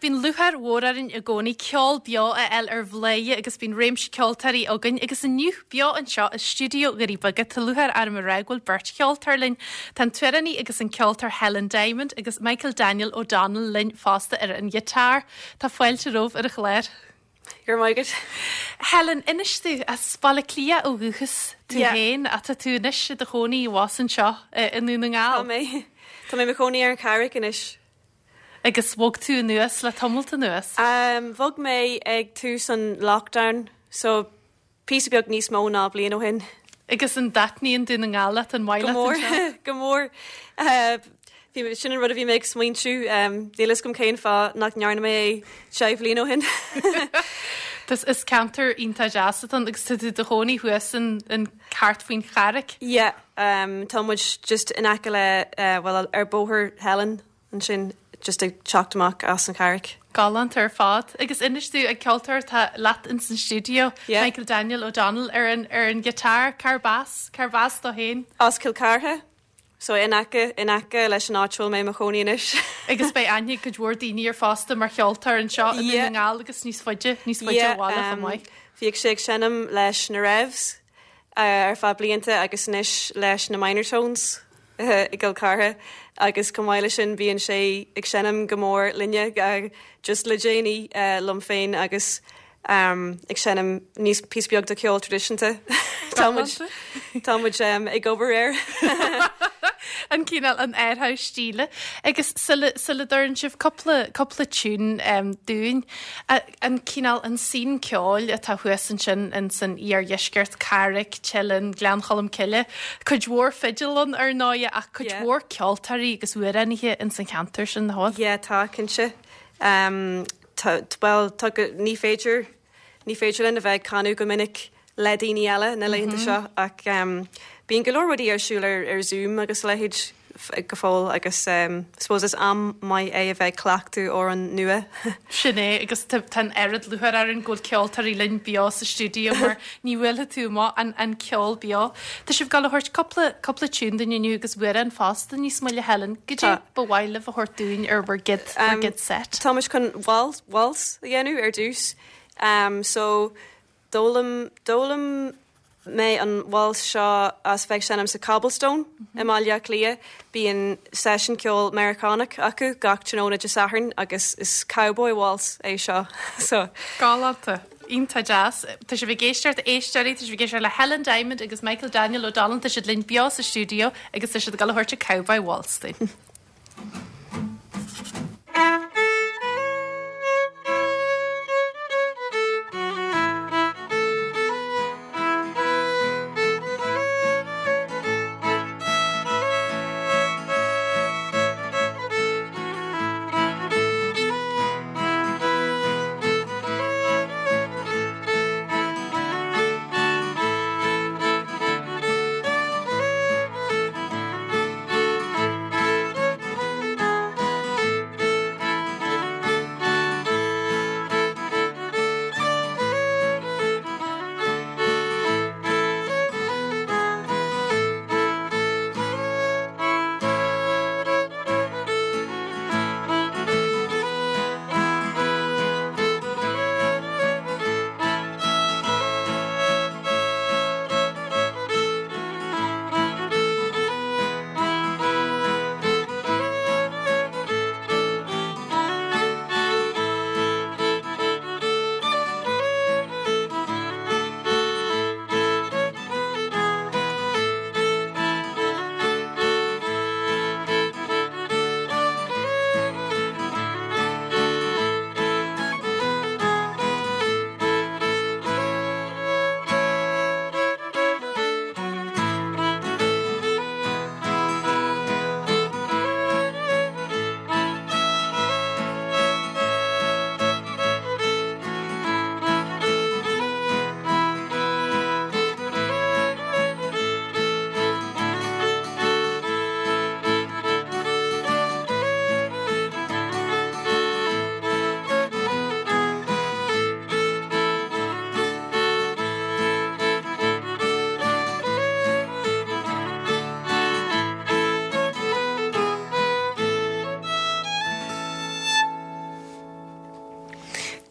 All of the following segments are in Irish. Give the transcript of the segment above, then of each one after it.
Bíonn lúcháir mhór orainn i gcónaí ceol beo a fháil ar Bhladhaire agus bíonn réimse ceoltóirí againn agus inniu beo anseo i stiúideo Dhoirí Beaga tá lúcháir orm a rá go bhfuil beirt cheoltóir linn. Tá an t-amhránaí agus an ceoltóir Helen Diamond agus Michael Daniel O'Donnell linn fosta ar an ghiotár. Tá fáilte romhaibh ar an chlár. Go raibh maith agat. Helen, inis domh, as Baile Átha Cliath ó dhúchas tú féin ach tá tú anois i do chónaí abhus anseo i nDún na nGall. Tá mé. Tá mé i mo chónaí ar an Charraig anois. Agus bhog tú anuas le tamalt anuas? Bhog mé ag tús an lockdown, so píosa beag níos mó ná bliain ó shin. Agus an dtaitníonn Dún na nGall leat, an maith leat anseo? Go mór, go mór. Bhí, sin an rud a bhí mé ag smaointiú, níl a fhios agam cén fáth nach ndearna mé é 10 bhliain ó shin. Is, is ceantar iontach deas atá ann agus tá tú i do chónaí thuas in, in thart faoin Charraig? Yeah, tá muid just in aice le, bhuel ar Bóthar Theilinn. ansin just ag teacht amach as an Charraig. Galánta ar fad. Agus inis domh, an ceoltóir atá leat ins an stiúideo, Yeah. Michael Daniel O'Donnell ar an ar an ghiotár, cárb as? Cárb as dó féin? As Cill Chartha, so in aice in aice leis an áit a bhfuil mé i mo chónaí anois. Agus beidh aithne ag cuid mhór daoine air fosta mar cheoltóir anseo i Dún na nGall agus níos faide, níos faide ó bhaile chomh maith. Bhíodh sé ag seinm leis na Revs ar feadh blianta agus anois leis na Minor Tones. i gCill Chartha agus chomh maith leis sin bíonn sé ag seinm go mór linne just le déanaí liom féin agus ag seinm níos píosa beag de cheol traidisiúnta. Tá muid tá muid ag obair air. An cineál an athrú stíle agus sula sula dtabharann sibh cúpla cúpla tune dúinn an cineál an scene ceoil atá thuas ansin in san iardheisceart, Carraig, Teileann, Gleann Cholm Cille, cuid mhór fidil ann ar ndóighe ach cuid Yeah. mhór ceoltóirí agus amhránaithe in san cheantar sin, nach bhfuil? Yeah, tá, cinnte. Um, tá, bhuel, tá go, ní féidir, ní féidir linn a bheith ag canadh go minic le daoine eile na laethanta seo ach um, bíonn go leor rudaí ar siúl ar, ar Zoom agus a leithéid go fóill agus um, suppose is am maith é a bheith ag cleachtadh amhrán nua. Sin é agus tá an oiread lúcháir orainn go bhfuil ceoltóirí linn beo sa stiúideo mar ní bhuailfidh tú amach an, an ceol beo. Tá sibh ag gabháil a thabhairt cúpla, cúpla tune dúinn inniu agus amhrán fosta níos moille Helen. Goidé ba mhaith libh a thabhairt dúinn ar bhur gcéad, bhur gcéad set? Tá muid chun waltz, waltz a dhéanamh ar dtús. Um, so D'fhoghlaim, d'fhoghlaim mé an waltz seo as bheith ag seinm sa Cobblestone i mBaile Átha Cliath. Bíonn seisiún ceoil Meiriceánach acu gach tráthnóna Dé Sathairn agus is cowboy waltz é seo. So. Galánta. Iontach deas. Tá sibh ag éisteacht, a éisteoirí, tá sibh ag éisteacht le Helen Diamond agus Michael Daniel O'Donnell, tá siad linn beo sa stiúideo agus tá siad ag dul a thabhairt an cowboy waltz dúinn.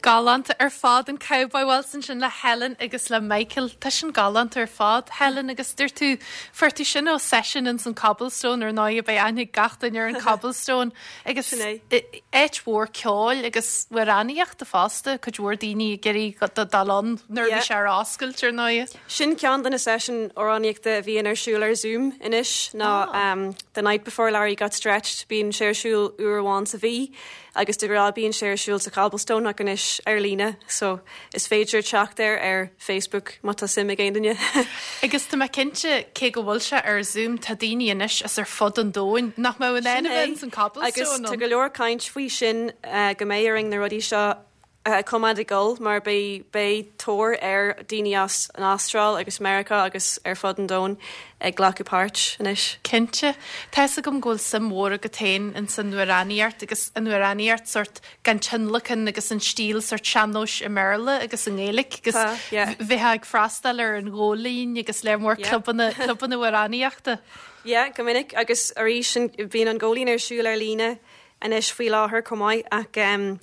Galánta ar fad an Cowboy Waltz ansin le Helen agus le Michael. Tá sin galánta ar fad, Helen, agus dúirt tú, fuair tú sin ó session ins an Cobblestone ar ndóigh, beidh aithne ag gach duine ar an Cobblestone agus Sin é. áit mhór ceoil agus amhránaíochta fosta, cuid mhór daoine ag iarraidh dul ann nuair a bhí sé ar oscailt ar ndóigh. Sin ceann de na seisiúin amhránaíochta a bhíonn ar siúl ar Zoom anois ná The Night Before Larry Got Stretched, bíonn sé ar siúl uair amháin sa mhí. Agus de ghnáth bíonn sé ar siúl sa Cobblestone ach anois ar líne so is féidir teacht air ar Facebook má tá suim ag aon duine. Agus tá mé cinnte, cé go bhfuil sé ar Zoom, tá daoine anois as ar fud an domhain nach mbeadh in ann a bheith ins an Cobblestone Agus tá go leor caint faoi sin go mbeidh orainn na rudaí seo a choimeád ag dul mar beidh beidh tóir ar daoine as an Astráil agus Meiriceá agus ar fud an domhain ag glacadh páirt anois. Cinnte. Tá fhios agam go bhfuil suim mhór agat féin ins an amhránaíocht agus an amhránaíocht sórt gan tionlacan agus an stíl sórt sean-nóis i mBéarla agus i nGaeilge agus Tá, yeah. bheifeá ag freastal ar an Ghóilín agus lear mór Yeah. clubanna clubanna amhránaíochta. Yeah, go minic agus arís bíonn an Góilín ar siúl ar líne anois faoi láthair chomh maith ach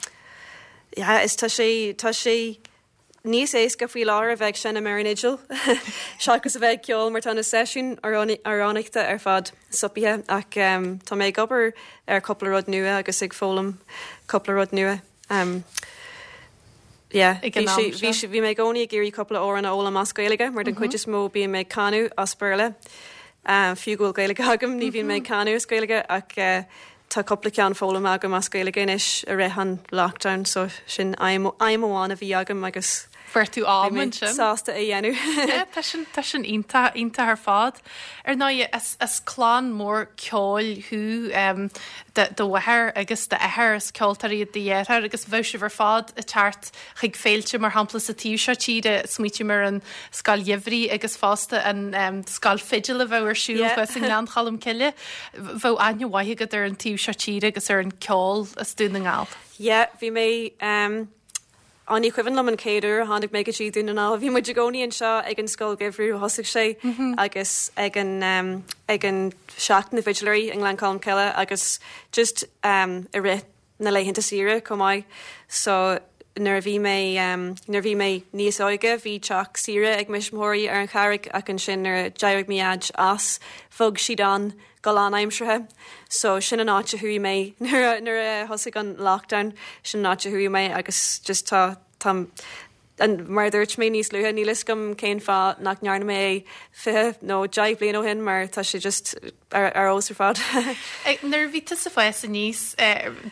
yeah is tá sé tá sé níos éasca faoi láthair a bheith ag seinm ar an fhidil seachas a bheith ag ceol mar tá na seisiúin amhránaíochta ar fad stoptha ach tá mé ag obair ar cúpla rud nua agus ag foghlaim cúpla rud nua. Yeah, Ag an bhí am sé bhí seo. sé bhí mé i gcónaí ag iarraidh cúpla amhrán a fhoghlaim as Gaeilge mar den chuid is mó bím ag canadh as Béarla. Fiú go bhfuil Gaeilge agam ní bhíonn mé ag canadh as Gaeilge ach tá cúpla ceann foghlamtha agam as Gaeilge anois i rith an lockdown so sin aidhm aidhm amháin a bhí agam agus Fuair tú bhí am mé ansin. sásta é a dhéanamh. Yeah, tá sin tá sin iontach iontach ar fad. Ar ndóigh is is clann mór ceoil thú um, do do mháthair agus d'athair is ceoltóirí iad do dheartháir agus bheadh sibh ar fad ag teacht chuig féilte mar shampla sa taobh seo tíre, smaoitím ar an Scoil Gheimhridh agus fosta an Scoil Fidil a bheadh ar siúl thuas i nGleann Cholm Cille. Bheadh aithne mhaith agat ar an taobh seo tíre agus ar an ceol as Dún na nGall. Yeah, bhí mé ehm á ní cuimhin liom an chéad uair a tháinig mé go dtí Dún na nGall. Bhí muid i gcónaí anseo ag an Scoil Gheimhridh ó thosaigh sé agus ag an ehm ag an Seachtain na bhFidléirí i nGleann Cholm Cille agus just ehm i rith na laethanta saoire chomh maith. So nuair a bhí mé nuair a bhí mé níos óige bhí teach saoire ag mo thuismitheoirí ar an Charraig ach ansin nuair a d'éirigh mo dhaid as bhog siad ann go lánaimseartha. So sin an áit a chuaigh mé nuair a nuair a thosaigh an lockdown sin an áit a chuaigh mé agus just tá tá And mar a dúirt mé níos luaithe, níl fhios agam cén fáth nach ndearna mé é 20 nó 10 bliain ó shin mar tá sé just ar fheabhas ar fad. Nuair a bhí tusa ag fás aníos,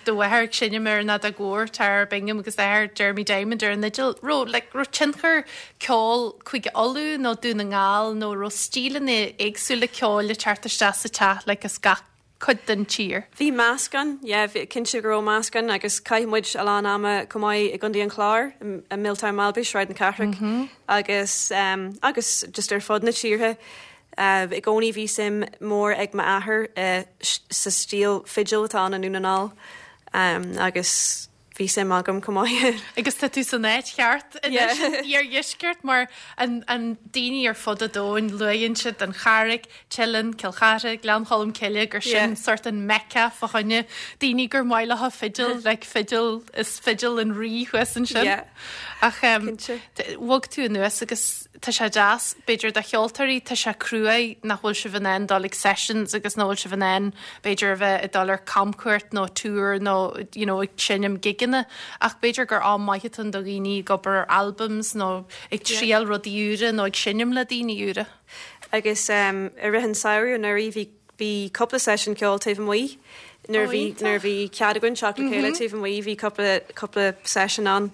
do mháthair ag seinm ar an fheadóg mhór, Tara Bingham agus d'athair Jeremy Diamond ar an fhidil, raibh like raibh tionchar ceol Cúige Uladh nó Dún na nGall nó raibh stíleanna éagsúla ceoil ag teacht isteach sa teach like as gach cuid den tír. Bhí meascán, yeah, bhí, cinnte go raibh meascán agus chaith muid a lán ama chomh maith i gContae an Chláir, i Milltown Malbay, Sráid na Cathrach agus agus just ar fud na tíre. I gcónaí bhí suim mór ag m'athair sa stíl fidil atá ann i nDún na nGall agus bhí suim agam chomh maith. Agus tá tú san áit cheart anois, san iardheisceart, mar an an daoine ar fud an domhain, luaigheann siad an Charraig, Teileann, Cill Chartha, Gleann Cholm Cille, gur sin sort an Mecca fá choinne daoine gur maith leo fidil, like fidil, is fidil an rí thuas ansin. Ach bhog tú anuas agus tá sé deas, b'fhéidir do cheoltóirí, tá sé cruaidh nach bhfuil sibh in ann dul ag sessions agus nach bhfuil sibh in ann b'fhéidir a bheith ag dul ar camchuairt nó tour nó you know ag seinm gigeanna ach b'fhéidir gur am maith atá ann do dhaoine ag obair ar albums nó ag triail rudaí úra nó ag seinm le daoine úra. Agus i rith an samhradh anuraidh bhí Bhí cúpla seisiún ceoil taobh amuigh nuair a bhí nuair a bhí cead againn teacht le chéile taobh amuigh bhí cúpla cúpla seisiún ann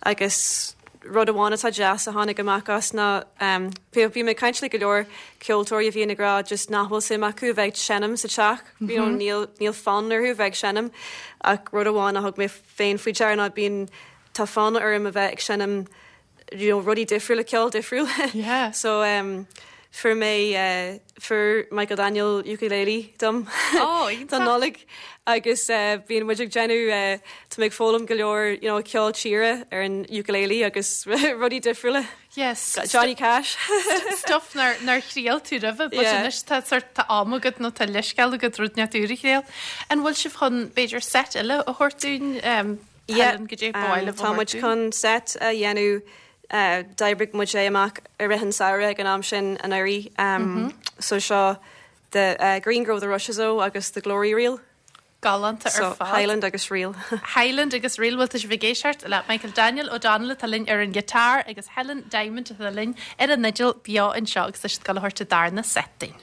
agus rud amháin atá deas a tháinig amach as ná bhí bhí mé ag caint le go leor ceoltóirí a bhíonn ag rá just nach bhfuil suim acu a bheith ag seinm sa teach you know níl níl fonn orthu a bheith ag seinm ach rud amháin a thug mé féin faoi deara ná bíonn tá fonn orm a bheith ag seinm you know, rudaí difriúla, ceol difriúil. Yeah. So um, fuair mé uh, fuair Michael Daniel ukulele dom oh, don Nollaig agus uh, bíonn muid ag déanamh uh, tá mé ag foghlaim go leor you know, ceol tíre ar an ukulele agus rudaí difriúla. Yes. Johnny Cash. Stuff nár nár thriail tú roimhe, but yeah. anois tá sort tá am agat nó tá leithscéal agat rud inteacht úr a thriail. An bhfuil sibh chun b'fhéidir set eile a thabhairt dúinn um, Helen, goidé ba mhaith libh a Tá muid thabhairt dúinn? chun set a dhéanamh, d'oibrigh muid é amach i rith an samhradh ag an am sin anuraidh. So seo The Green Grow the Rushes O agus The Glory Reel. Galánta ar So fad. Highland agus Reel. Highland agus Reel, bhuel tá sibh ag éisteacht le Michael Daniel O'Donnell atá linn ar an ghiotár agus Helen Diamond atá linn ar an fhidil beo anseo agus tá siad ag dul a thabhairt a darna set dúinn.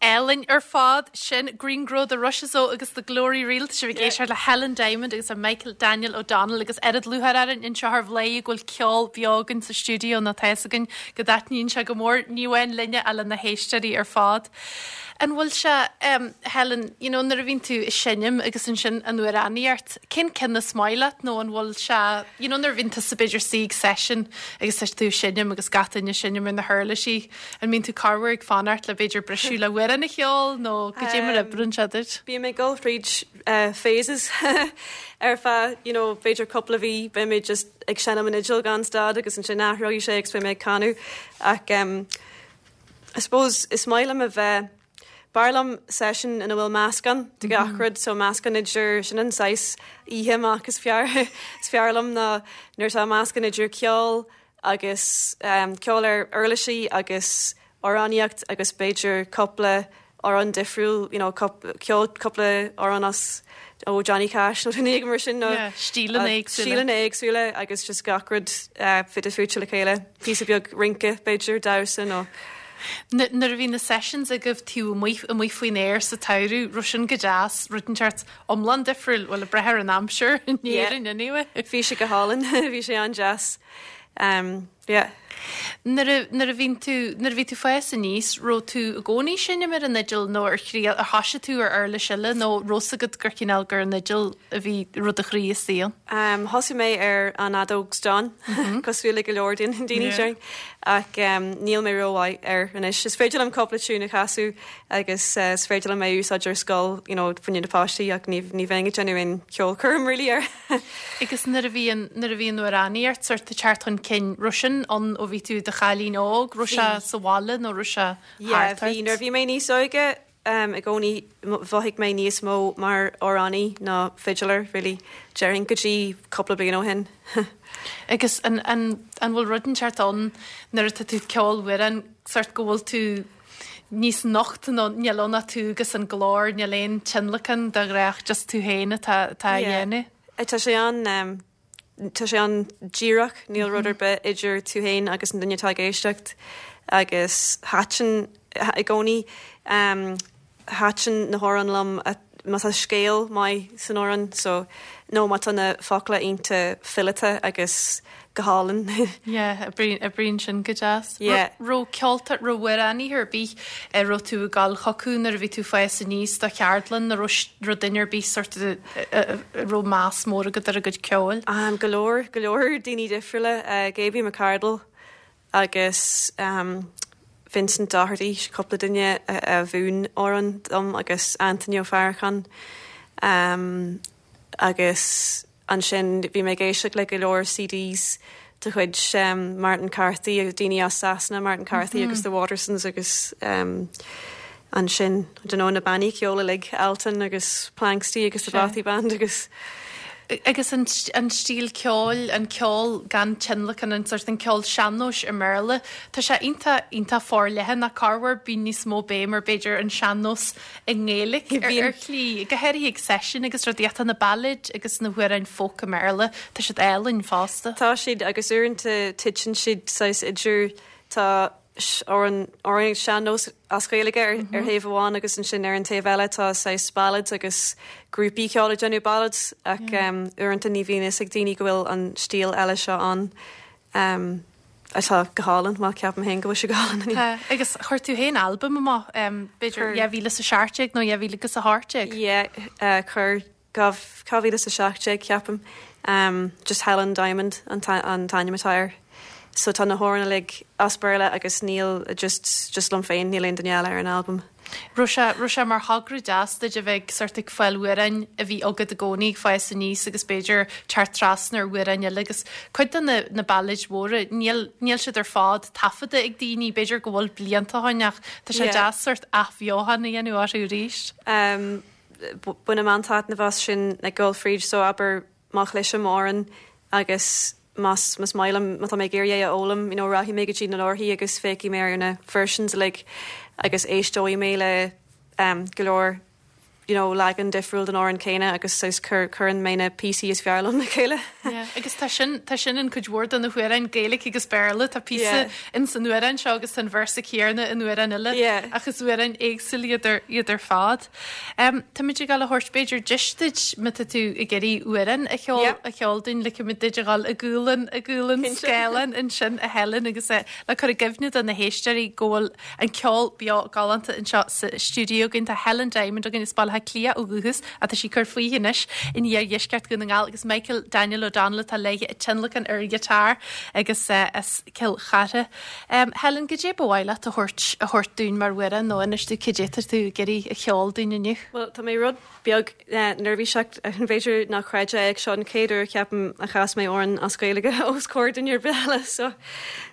Álainn ar fad sin Green Grow the Rushes O agus The Glory Reel. Tá sibh ag éisteacht le Helen Diamond agus Michael Daniel O'Donnell agus oiread lúcháir orainn anseo ar Bhladhaire go bhfuil ceol beo againn sa stiúideo nó tá fhios againn go dtaitníonn sé go mór, ní amháin linne ach le na héisteoirí ar fad. An bhfuil sé, Helen, you know, nuair a bhíonn tú ag seinm agus ansin an amhránaíocht, cén ceann is maith leat nó an bhfuil sé, you know, nuair a bhíonn tusa b'fhéidir istigh ag session agus tá tú ag seinm agus gach duine ag seinm ar na huirlisí, an mbíonn tú corruair ag fanacht le b'fhéidir briseadh le amhrán a cheol nó goidé mar a oibríonn sé duit? Bím ag dul fríd phases ar feadh, you know, b'fhéidir cúpla mhí, beidh mé just ag seinm an fhidil gan stad agus ansin athróidh sé agus beidh mé ag canadh ach um, I suppose is maith liom a bheith, b'fhearr liom session ina bhfuil meascán de gach rud, so meascán idir, sin an saghas oíche amach is fearr, is fearr liom ná nuair atá meascán idir ceol agus ceol ar uirlisí agus amhránaíocht agus b'fhéidir cúpla amhrán difriúil, you know, ceol, cúpla amhrán as ó Johnny Cash nó duine éigin mar sin nó Yeah, stíleanna éagsúla. stíleanna éagsúla agus just gach rud fite fuaite le chéile. Píosa beag rince, b'fhéidir, damhsa nó. Nuair a bhí na sessions agaibh taobh amuigh, amuigh faoin aer sa tsamhradh, raibh sin go deas, rud inteacht iomlán difriúil, bhuel, ag brath ar an aimsir in Éirinn anyway. Bhí sé go hálainn, bhí sé an-deas. Um, yeah. Nuair a, nuair a bhíonn tú, nuair a bhí tú fás aníos, raibh tú i gcónaí ag seinm ar an fhidil nó ar thriail, ar thoisigh tú ar uirlis eile nó raibh 's agat gur chineál gur an fhidil a bhí raibh do chroí istigh ann? Um, thosaigh mé ar an fheadóg stáin, cosúil le go leor daoine, daoine yeah. ach um, níl mé rómhaith air anois. Is féidir liom cúpla tiún a chasadh agus uh, is féidir liom é a úsáid ar scoil, you know, fá choinne na páistí ach ní, ní bheinn ag déanamh aon cheolchoirm really air. Agus nuair a bhí an, nuair a bhí an amhránaíocht sort ag teacht chun cinn, raibh sin ann ó bhí tú i do chailín óg, raibh sé sa bhaile nó raibh sé Yeah, thart ort? bhí, nuair a bhí mé níos óige, i gcónaí mhothaigh mé níos mó mar amhránaí ná fiddler, really, déarfainn, go dtí cúpla bliain ó shin. Agus an, an, an bhfuil rud inteacht ann nuair atá tú ag ceol amhrán, sort go bhfuil tú níos nocht nó níl ann ach tú agus an glór, níl aon tionlacan de ghnáth, just tú féin atá, atá á Yeah. dhéanamh? Tá sé an, tá sé an-díreach, níl rud ar bith idir tú féin agus an duine atá ag éisteacht agus thaitin i gcónaí, thaitin na hamhráin liom má tá scéal maith san amhrán so nó má tá na focla iontach fileata agus go hálainn. Yeah, oibríonn sin go deas. Yeah. Raibh ceoltóir, raibh amhránaithe ar bith a raibh tú ag dul chucu nuair a bhí tú ag fás aníos do cheardlann nó raibh raibh duine ar bith sort of a raibh meas mór agat ar a gcuid ceoil? Go leor, go leor daoine difriúla, Gaby McArdle agus Vincent Doherty, cúpla duine a mhúin amhráin dom agus Anthony Ó Faracháin agus Ansin bhí mé ag éisteacht le go leor CDs de chuid Martin Carthy agus daoine as Sasana, Martin Carthy agus The Watersons agus ansin, I don't know, na bannaí ceoil uilig, Altan agus Planxty agus The Bothy Band agus. Agus an stíl ceoil, an ceol gan tionlacan, an sort an ceol sean-nóis i mBéarla, tá sé iontach, iontach forleathan ach corruair bíonn níos mó béim ar b'fhéidir an sean-nós i nGaeilge ar shlí, go háirithe ag seisiúin agus rudaí ach tá na ballads agus na hamhráin folk i mBéarla, tá siad álainn fosta. Tá siad agus uaireanta titeann siad saghas idir, tá amhrán, amhráin sean-nós as Gaeilge ar ar thaobh amháin agus ansin ar an taobh eile tá saghas ballads agus grúpaí ceoil ag déanamh ballads ach uaireanta ní bhíonn fhios ag daoine go bhfuil an stíl eile seo ann. Atá go hálainn, bhuel ceapaim féin go bhfuil sé go hálainn. Tá, agus chuir tú féin albam amach, b'fhéidir 2017 nó 2018? Yeah, chuir, 2017 ceapaim, just Helen Diamond an t-ainm atá air. So tá na hamhráin uilig as Béarla agus níl, just, just liom féin, níl aon duine eile ar an albam. Raibh sé, raibh sé mar thogra deas duit a bheith ag sort ag fáil amhráin a bhí agat i gcónaí ag fás aníos agus b'fhéidir teacht trasna ar amhráin eile agus cuid de na, na ballads mhóra, níl, níl siad ar fad taifeadta ag daoine, b'fhéidir go bhfuil blianta ó shin ach tá sé deas sort athbheochan a dhéanamh orthu arís. Bainim an-taitneamh as sin ag dul fríd so abair má chloisim amhrán agus más más maith liom, má tá mé ag iarraidh é a fhoghlaim, you know, rachaidh mé go dtí na leabharthaí agus féachfaidh mé ar na versions uilig agus éisteoidh mé le um, go leor you know, leagan difriúil den amhrán céanna agus saghas cur, cuireann mé na píosaí is fearr liom le chéile. Yeah, agus tá sin, tá sin in cuid mhór de na hamhráin Gaeilge agus Béarla, tá píosa yeah. in san amhrán seo agus tá an véarsa céanna in amhrán eile yeah. ach is amhráin éagsúla iad ar, iad ar fad. Táimid ag dul a thabhairt b'fhéidir deis duit má tá tú ag iarraidh amhrán a cheol a cheol dúinn ligfimid duit a dhul i gcúl an i gcúl an scáileáin ansin a Helen agus le cur i gcuimhne do na héisteoirí go bhfuil an ceol beo galánta anseo sa stiúideo againn. Tá Helen Diamond againn as Baile Átha Cliath ó dhúchas ach tá sí ag cur fúithi anois in iardheisceart Dhún na nGall agus Michael Daniel O'Donnell atá léi ag tionlacan ar an ghiotár agus as Cill Chartha. Helen, goidé ba mhaith leat a thabhairt a thabhairt dúinn mar amhrán nó inis dúinn cad é atá tú ag iarraidh a cheol dúinn inniu? Bhuel, tá mé rud beag neirbhíseach, b'fhéidir nach gcreidfeá é ach seo an chéad uair ceapaim a chas mé amhrán as Gaeilge os comhair duine ar bith eile so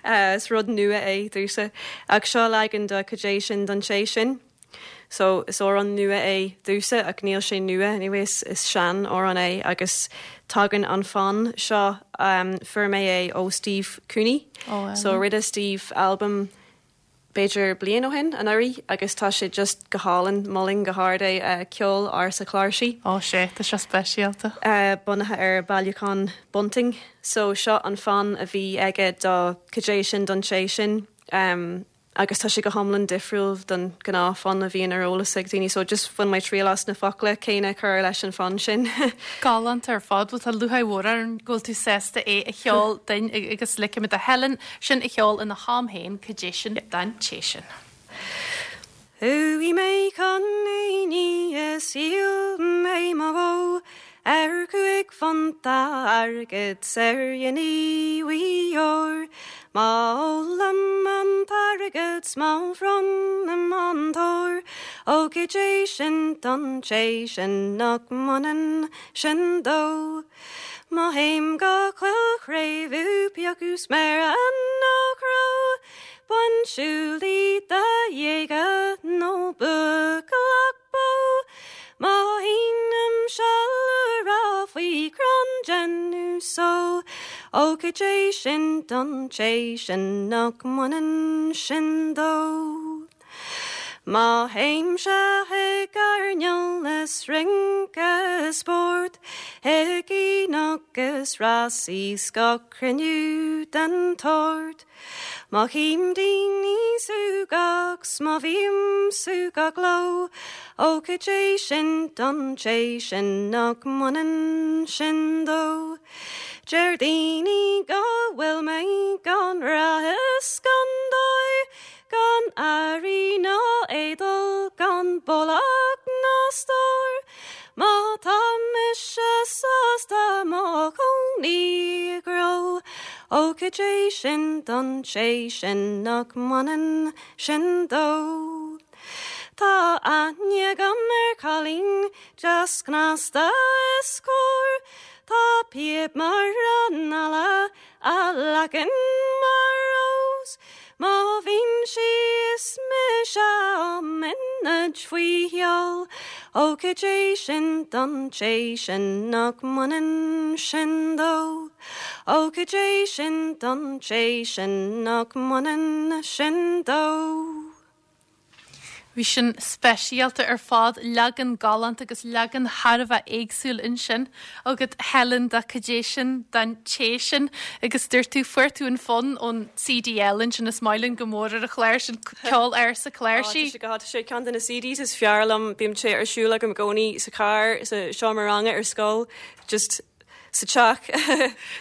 is rud nua é domhsa. Ach seo leagan de Cad é sin don té sin. So, is amhrán nua é domhsa ach níl sé nua, anyway, is sean amhrán é agus tagann an fonn seo, fuair mé é ó Steve Cooney. So, rinne Steve albam b'fhéidir bliain ó shin, anuraidh, agus tá sé just go hálainn, molaim go hard é, Ceol Ársa Cláirsí. Ó sea, tá sé speisialta. Bunaithe ar bailiúchán Bunting. So, seo an fonn a bhí aige do Cad é sin don té sin. agus tá sé go hiomlán difriúil don gnáth fonn a bhíonn ar eolas ag daoine so just bhain mé triail as na focla céanna a chur leis an fonn sin. Galánta ar fad, bhuel tá lúcháir mhór orainn go bhfuil tú sásta é a cheol duinn agus ligfimid do Helen sin a cheol ina ham féin, cad é sin don té sin. Chuaigh mé chun aonaigh is dhíol mé mo bhó ar chúig phunt airgid 's ar ghiní bhuí óir. Má ólaim an t-airgead 's má bhronnaim an t-ór, ó cad é sin don té sin nach mbaineann sin dó. Má théim go Coill Chréibh pé acu sméara nó cró. Bain siúlaí de ghéaga nó buachailleacht bó. Má sheinimse lúthra faoi chrann den só, Ó cad é sin don té sin nach mbaineann sin dó. Má théimse chuig airneál is rince is spórt, chuig aonach is rásaí 's gach cruinniú den tsórt. Má chím daoine súgach 's má bhím súgach leo, ó cad é sin don té sin nach mbaineann sin dó. Deir daoine go bhfuil mé gan rath is gan dóigh, Gan airí ná éadail, gan brollach ná stór, Má tá mise sásta mo chónaí i gcró, Ó cad é sin don té sin nach mbaineann sin dó. Tá aithne agam ar chailín deas cneasta is cóir, Tá píob mar an eala A leagan mar rós má bhíonn sí is mise á mbímid faoi sheol Ó cad é sin don té sin nach mbaineann sin dó Ó cad é sin don té sin nach mbaineann sin dó. Bhí sin speisialta ar fad, leagan galánta agus leagan thar a bheith éagsúil ansin agat Helen de Cad é sin don té sin agus dúirt tú fuair tú an fonn ón CD eile ansin is maith linn go mór ar an chlár sin ceol ársa cláirsí. Tá sé go tá sé ceann de na CDs is fearr liom, bíonn sé ar siúl agam i gcónaí sa charr, sa seomra ranga ar scoil, just sa teach.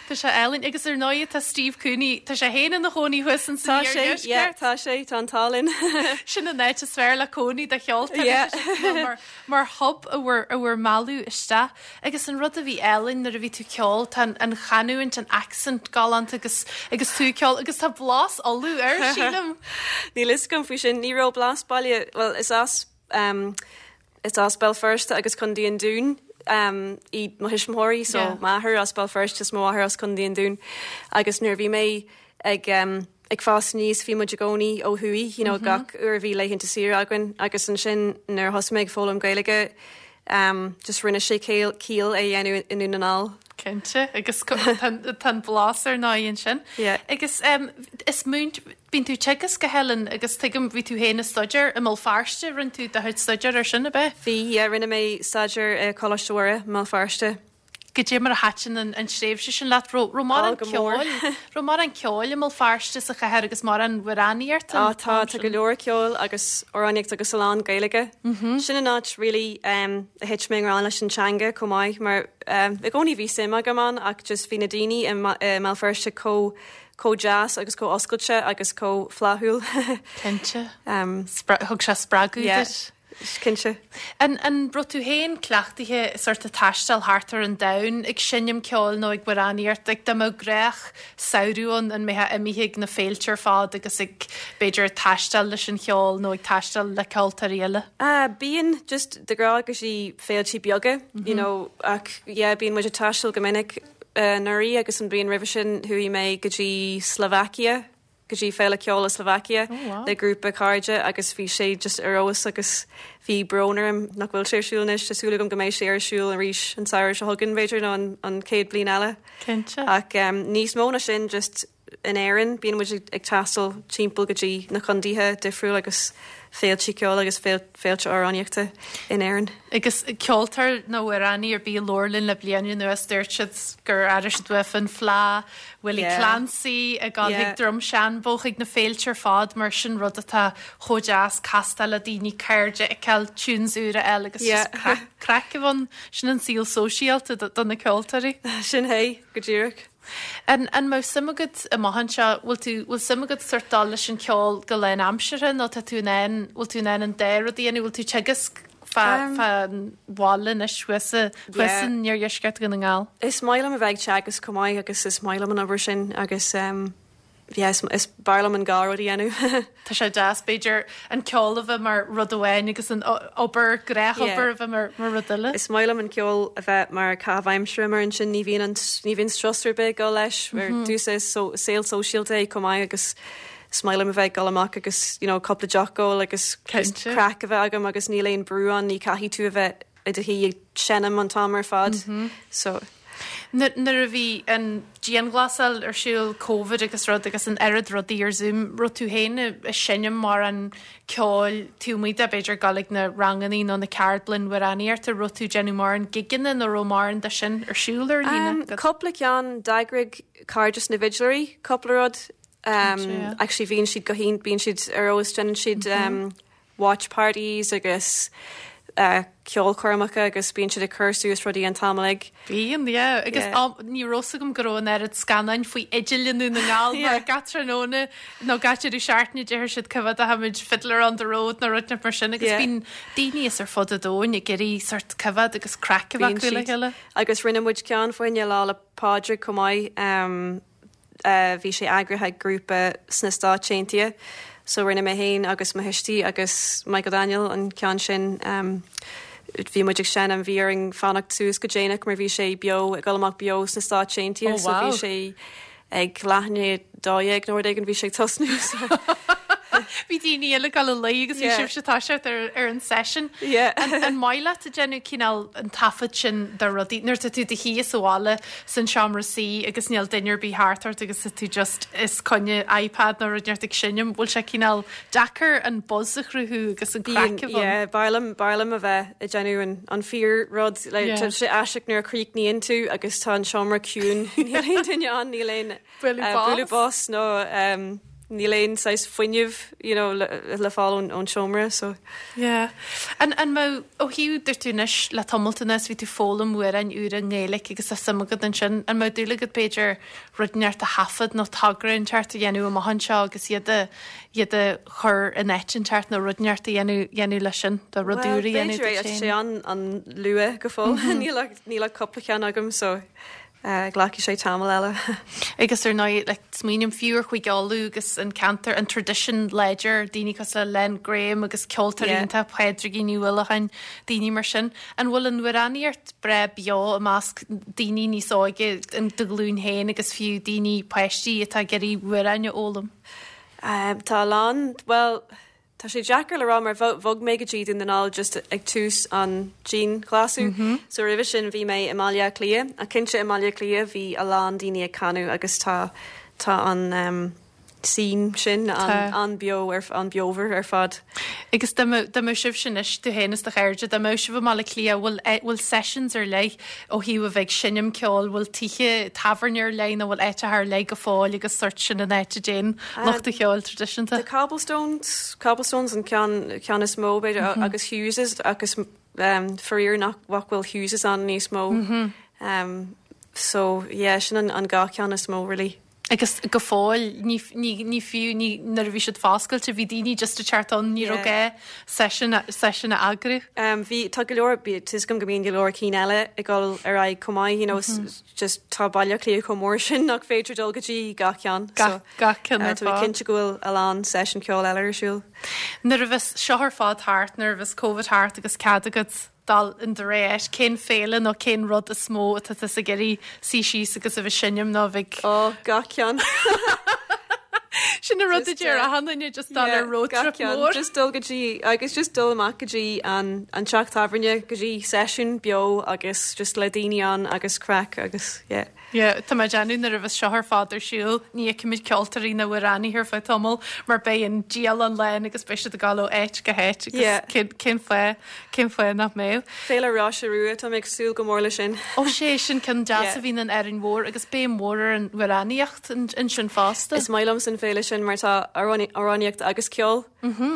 Tá sé álainn. Agus ar ndóigh tá Steve Cooney, tá sé féin ina chónaí thuas in san Tá sé, yeah, iardheisceart. tá sé, tá an t-ádh linn. Sin an áit is fearr le cónaí do cheoltóirí. Yeah. Tá sé mar, mar hub a bhur, a bhur mealladh isteach. Agus an rud a bhí álainn nuair a bhí tú ag ceol, tá an, an chanúint, an accent galánta agus, agus tú ag ceol agus tá blas Uladh air, sílim. Níl fhios agam faoi sin, ní raibh blas baile, bhuel is as um, Is as Béal Feirste agus Contae an Dúin iad mo thuismitheoirí, so m'athair as Béal Feirste is mo mháthair as Contae an Dúin. Agus nuair a bhí mé ag ag fás aníos bhí muid i gcónaí ó thuaidh, you know, gach uair a bhí laethanta saoire againn agus ansin nuair a thosaigh mé ag foghlaim Gaeilge just rinne sé ciall é a dhéanamh i nDún na nGall. Cinnte, agus tá an blas ar ndóigh ansin. Agus is múint, Bíonn tú ag teagasc a Helen agus tuigim bhí tú féin ag staidéar i mBéal Feirste, rinne tú do chuid staidéir ar sin, ab ea? Bhí, yeah, rinne mé staidéar i Coláiste Mhuire i mBéal Feirste. Goidé mar a thaitin an an tréimhse sin leat? Raibh raibh mórán Ó, go mór. ceoil, raibh mórán ceoil i mBéal Feirste sa chathair agus mórán amhránaíocht Á an tá, t-am tá go sin? leor ceoil agus amhránaíocht agus a lán Gaeilge. Sin an áit really um, a thit mé i ngrá leis an teanga chomh maith mar um, i gcónaí bhí suim agam ann ach just bhí na daoine i mBéal Feirste chomh chomh deas agus chomh oscailte agus chomh flaithiúil. Cinnte. Thug sé spreagadh duit. Cinnte. An an raibh tú féin cleachtaithe sort ag taisteal thart ar an domhan ag seinm ceoil nó ag amhránaíocht? Like dá mbeadh gnách samhradh ann an mbeifeá imithe ag na féilte ar fad agus ag b'fhéidir ag taisteal leis an cheol nó ag taisteal le ceoltóirí eile? Bíonn, just de ghnáth go dtí féiltí beaga, you know, ach yeah bíonn muid ag taisteal go minic. Anuraidh agus an bhliain roimhe sin chuaigh mé go dtí Slovakia, go dtí Féile Ceoil i Slovakia le grúpa cairde agus bhí sé just ar fheabhas agus bhí brón orm nach bhfuil sé ar siúl anois. Tá súil agam go mbeidh sé ar siúl arís an samhradh seo chugainn b'fhéidir nó an chéad bhliain eile. Cinnte. Ach níos mó ná sin just in Éirinn bíonn muid ag taisteal timpeall go dtí na contaetha difriúil agus féilte ceoil agus féilte amhránaíochta in Éirinn. Agus ceoltóir nó amhránaí ar bith a labhair linn le bliain anuas dúirt siad gur airigh siad uafa an Fleadh, Willie Clancy, ag dul chuig Drumshanbo, chuig na féilte ar fad mar sin rud atá chomh deas, castáil le daoine, cairde a fheiceáil, tunes úra a fháil agus just craic a bheith ann. Sin an saol sóisialta do na ceoltóirí. Sin é, go díreach. An an mbeadh suim agat amach anseo, bhfuil tú, bhfuil suim agat sort dul leis an cheol go lánaimseartha nó tá tú in ann, bhfuil tú in ann an dá rud a dhéanamh, bhfuil tú teagasc fá, fá an bhaile anois thuas i, thuas in iardheisceart Dhún na nGall? Is maith liom a bheith ag teagasc chomh maith agus is maith liom an obair sin agus yeah, is, is b'fhearr liom an dhá rud a dhéanamh. Tá sé deas, b'fhéidir, an ceol a bheith mar rud amháin agus an obair, gnáthobair a bheith mar rud eile. Is maith liom an ceol a bheith mar caitheamh aimsire mar ansin ní bhíonn an, ní bhíonn strus ar bith ag dul leis. Ar dtús is saol sóisialta é chomh maith agus. Is maith liom a bheith ag dul amach agus you know cúpla deoch a ól agus just craic a bheith agam agus níl aon brú ann, ní caithfidh tú a bheith i do shuí ag seinm an t-am ar fad. So. Nuair a bhí an dianghlasáil ar siúl, Covid agus rud agus an oiread rudaí ar Zoom, raibh tú féin ag seinm mórán ceoil taobh amuigh de, b'fhéidir dul ag na rangannaí nó na ceardlann amhránaíochta, raibh tú ag déanamh mórán gigeanna nó raibh mórán de sin ar siúl ar líne? Cúpla ceann, d'eagraigh Cairdeas na bhFidléirí cúpla rud. Actually bhíonn siad go hiontach, bíonn siad ar fheabhas, déanann siad watch parties agus ceolchoirmeacha agus bíonn siad ag cur suas rudaí an t-am uilig. Bíonn, yeah. Agus ní raibh fhios agam go raibh an oiread scannáin faoi fhidil i nDún na nGall mar gach tráthnóna nó gach deireadh seachtaine deir siad coimhéadfaimid Fiddler on the Road nó rud mar sin agus bíonn daoine as ar fud an domhain ag iarraidh sort coimhéad agus craic a bheith acu le chéile. Agus rinne muid ceann fá choinne Lá 'le Pádraig chomh maith. Bhí sé eagraithe ag grúpa sna Stáit Aontaithe so rinne mé féin agus mo thuistí agus Michael Daniel an ceann sin. Bhí muid ag seinm, bhí orainn fanacht suas go déanach mar bhí sé beo, ag dul amach beo sna Stáit Aontaithe so bhí sé ag leath i ndiaidh a 12 nó rud éigin bhí sé ag tosnú so. Bhí daoine eile ag dul a luí agus bhí sibhse ag toiseacht ar ar an session. An maith leat ag déanamh cineál an taifead sin de rudaí nuair atá tú i do shuí sa bhaile san seomra suí agus níl duine ar bith thart ort agus tá tú just os coinne iPad nó rud inteacht ag seinm, bhfuil sé cineál deacair an buzz a chruthú agus an craic a bheith ann? Yeah, b'fhearr liom, b'fhearr liom a bheith ag déanamh an, an fíor rud, like, tá sé aisteach nuair a chríochnaíonn tú agus tá an seomra ciúin, níl aon duine ann, níl aon bualadh bos nó níl aon saghas fuinneamh you know le le fáil ón ón seomra so. Yeah. An an mbeadh, ó thaobh, dúirt tú anois le tamalt anuas bhí tú ag foghlaim amhráin úra i nGaeilge agus tá suim agat ansin, an mbeadh dúil agat b'fhéidir rud inteacht a thaifead nó togra inteacht a dhéanamh amach anseo agus iad a iad a chur in áit inteacht nó rud inteacht a dhéanamh dhéanamh leis sin, do rud úr a dhéanamh duit féin? Well b'fhéidir é, tá sé an an luath go fóill, níl ach níl ach cúpla ceann agam so. Glacfaidh sé tamall eile. Agus ar ndóigh, like, smaoiním fiú ar Chúige Uladh agus an ceantar, an tradition láidir, daoine cosúil le Len Graham agus ceoltóirí iontach, Pádraigín Ní Uallacháin, daoine mar sin. An bhfuil an amhránaíocht breá beo i measc daoine níos óige, do ghlúin féin agus fiú daoine, páistí atá ag iarraidh amhráin a fhoghlaim? Tá a lán, bhuel, Tá sé deacair le rá mar bhog mé go dtí Dún na nGall just ag tús an dianghlasú so roimhe sin bhí mé i mBaile Átha Cliath ach cinnte i mBaile Átha Cliath bhí a lán daoine ag canadh agus tá tá an scene sin an-bheo ar an-bheomhar ar fad. Agus dá mbeadh dá mbeadh sibhse anois, tú féin is do chairde, dá mbeadh sibh i mBaile Átha Cliath, bhfuil bhfuil sessions ar leith ó thaobh a bheith ag seinm ceoil, bhfuil tithe tábhairne ar leith nó bhfuil áiteacha ar leith go fóill agus sort sin an áit a dtéann lucht an cheoil traidisiúnta? The Cobblestones, Cobblestones an ceann ceann is mó b'fhéidir agus Hughes's agus faraor nach nach bhfuil Hughes's ann níos mó. So yeah sin an an dhá cheann is mó really. Agus go fóill, ní, ní, ní fiú, ní, nuair a bhí siad foscailte, bhí daoine just ag teacht ann, ní raibh gá session, session a eagrú. Bhí, tá go leor, tá 'fhios agam go mbíonn go leor cinn eile ag dul ar aghaidh chomh maith, you know, just tá Baile Átha Cliath chomh mór sin nach féidir dul go dtí gach ceann. Gach, gach ceann ar fad. Tá mé cinnte go bhfuil a lán session ceoil eile ar siúl. Nuair a bheas seo ar fad thart, nuair a bheas Covid thart agus cead agat dul in do rogha áit, cén féile nó cén rud is mó atá tusa ag iarraidh suí síos agus a bheith ag seinm nó a bheith ag. Ó, gach ceann. Sin an rud a deir achan duine, just dul ar road trip mór. Just dul go dtí, agus just dul amach go dtí an an teach tábhairne, go dtí seisiún beo agus just le daoine ann agus craic agus yeah. Yeah, tá mé ag déanamh nuair a bheas seo ar fad ar siúl, ní fheicfimid ceoltóirí ná amhránaithe ar feadh tamaill mar beidh an dialann lán agus beidh siad ag dul ó áit go háit agus Yeah. cén, cén fáth, cén fáth nach mbeadh. Féile Roise Rua, tá mé ag súil go mór leis sin. Ó sé, sin ceann deas Yeah. a bhíonn in Árainn Mhór agus béim mhór ar an amhránaíocht ansin fosta. Is maith liomsa an féile sin mar tá amhránaíocht agus ceol,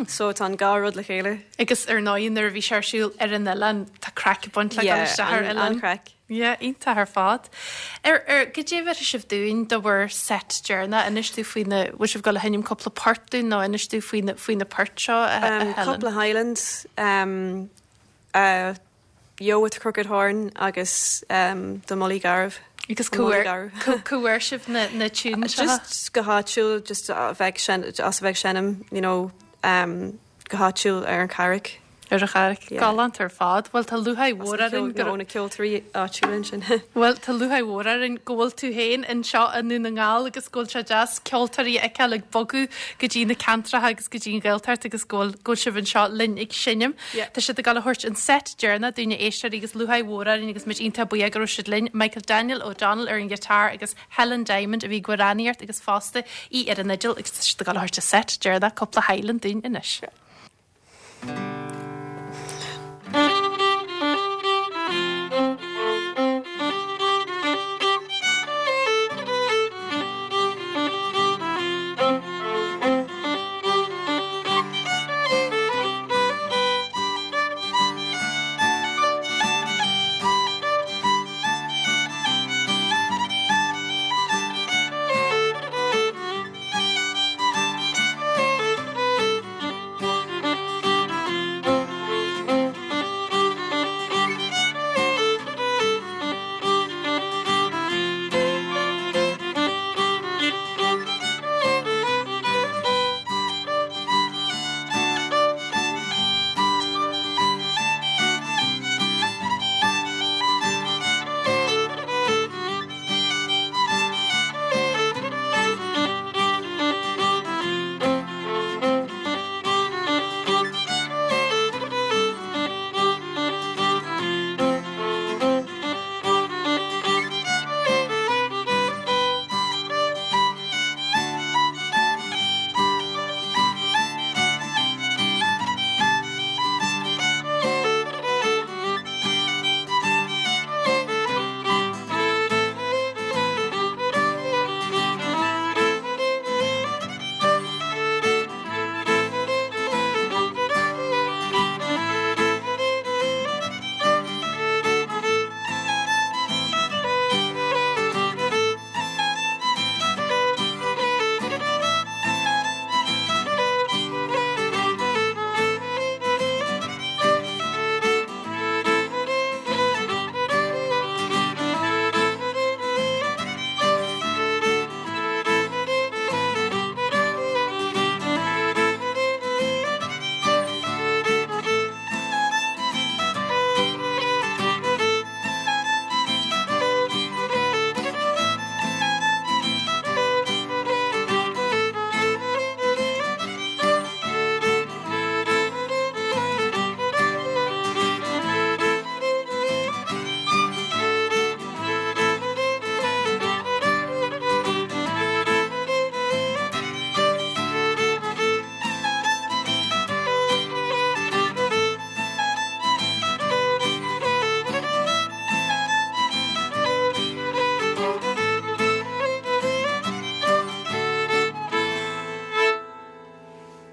so tá an dhá rud le chéile. Agus ar ndóigh nuair a bhí sé ar siúl ar an oileán, tá craic ag baint le dul Yeah, isteach ar an, oileán. an-chraic. Yeah, iontach ar fad. Ar, ar, goidé a bheirfidh sibh dúinn do bhur set deireanach? Inis dúinn faoi na, bhfuil sibh ag dul a sheinm cúpla port dúinn nó inis dúinn faoi na, faoi na poirt seo, a, a Helen? Cúpla Highland, um, uh, Yo with the Crooked Horn agus um, The Mullaí Garbh. Agus cá bhfuair, cá bhfuair sibh na, na tunes seo? Just go háitiúil, just a bheith ag, as a bheith ag seinm, you know, um, go háitiúil ar an Charraig. Ar an Charraic. Galánta ar fad. Bhuel tá lúcháir mhór orainn go. Ó na ceoltóirí áitiúla ansin. Bhuel tá lúcháir mhór orainn go bhfuil tú féin anseo i nDún na nGall agus go bhfuil sé deas ceoltóirí a fheiceáil ag bogadh go dtí na ceantracha agus go dtí an Ghaeltacht agus go bhfuil go bhfuil sibh anseo linn ag seinm. Tá siad ag dul a thabhairt an set deireanach dúinn a éisteoirí agus lúcháir mhór orainn agus muid iontach buíoch go raibh siad linn. Michael Daniel O'Donnell ar an ghiotár agus Helen Diamond a bhí ag amhránaíocht agus fosta í ar an fhidil agus tá siad ag dul a thabhairt an set deireanach cúpla Highland dúinn anois.